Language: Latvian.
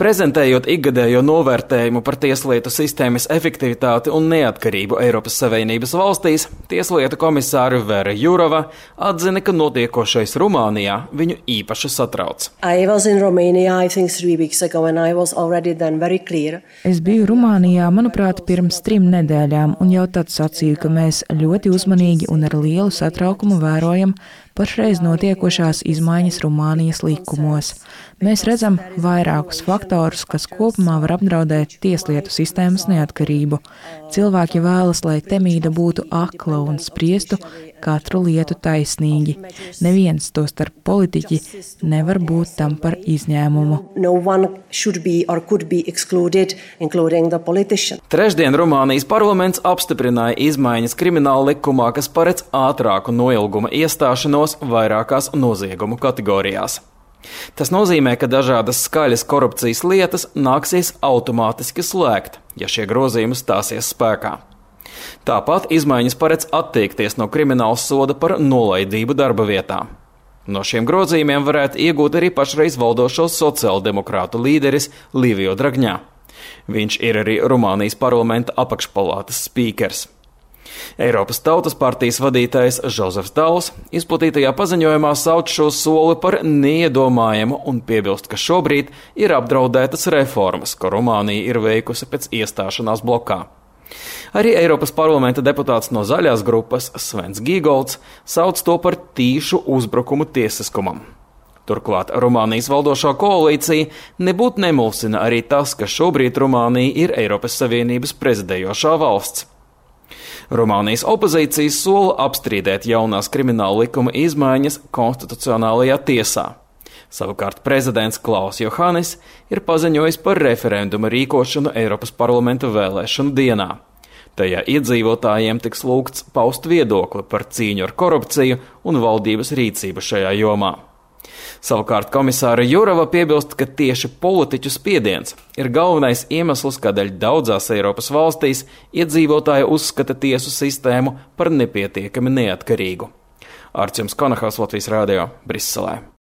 Prezentējot ikgadējo novērtējumu par tieslietu sistēmas efektivitāti un neatkarību Eiropas Savienības valstīs, tieslietu komisāre Vera Jourova atzina, ka notiekošais Rumānijā viņu īpaši satrauc. Es biju Rumānijā, manuprāt, pirms 3 nedēļām, un jau tad sacīju, ka mēs ļoti uzmanīgi un ar lielu satraukumu vērojam pašreiz notiekošās izmaiņas Rumānijas likumos. Mēs redzam vairākus faktorus, kas kopumā var apdraudēt tieslietu sistēmas neatkarību. Cilvēki vēlas, lai temīda būtu akla un spriestu katru lietu taisnīgi. Neviens, tostarp politiķi, nevar būt tam par izņēmumu. Trešdien Rumānijas parlaments apstiprināja izmaiņas krimināla likumā, kas paredz ātrāku noilguma iestāšanos vairākās noziegumu kategorijās. Tas nozīmē, ka dažādas skaļas korupcijas lietas nāksies automātiski slēgt, ja šie grozījumi stāsies spēkā. Tāpat izmaiņas paredz atteikties no krimināla soda par nolaidību darba vietā. No šiem grozījumiem varētu iegūt arī pašreiz valdošo sociāldemokrātu līderis Livio Dragņā. Viņš ir arī Rumānijas parlamenta apakšpalātas spīkers. Eiropas Tautas partijas vadītājs Žozefs Dauls izplatītajā paziņojumā sauc šo soli par neiedomājamu un piebilst, ka šobrīd ir apdraudētas reformas, ko Rumānija ir veikusi pēc iestāšanās blokā. Arī Eiropas parlamenta deputāts no zaļās grupas Svens Gīgolds sauc to par tīšu uzbrukumu tiesiskumam. Turklāt Rumānijas valdošā koalīcija nebūtu nemulsina arī tas, ka šobrīd Rumānija ir Eiropas Savienības prezidējošā valsts. Rumānijas opozīcijas sola apstrīdēt jaunās krimināla likuma izmaiņas konstitucionālajā tiesā. Savukārt prezidents Klaus Johannis ir paziņojis par referenduma rīkošanu Eiropas parlamenta vēlēšanu dienā. Tajā iedzīvotājiem tiks lūgts paust viedokli par cīņu ar korupciju un valdības rīcību šajā jomā. Savukārt komisāra Jourova piebilst, ka tieši politiķu spiediens ir galvenais iemesls, kādēļ daudzās Eiropas valstīs iedzīvotāji uzskata tiesu sistēmu par nepietiekami neatkarīgu. Arčuns Konahals, Latvijas radio, Briselē.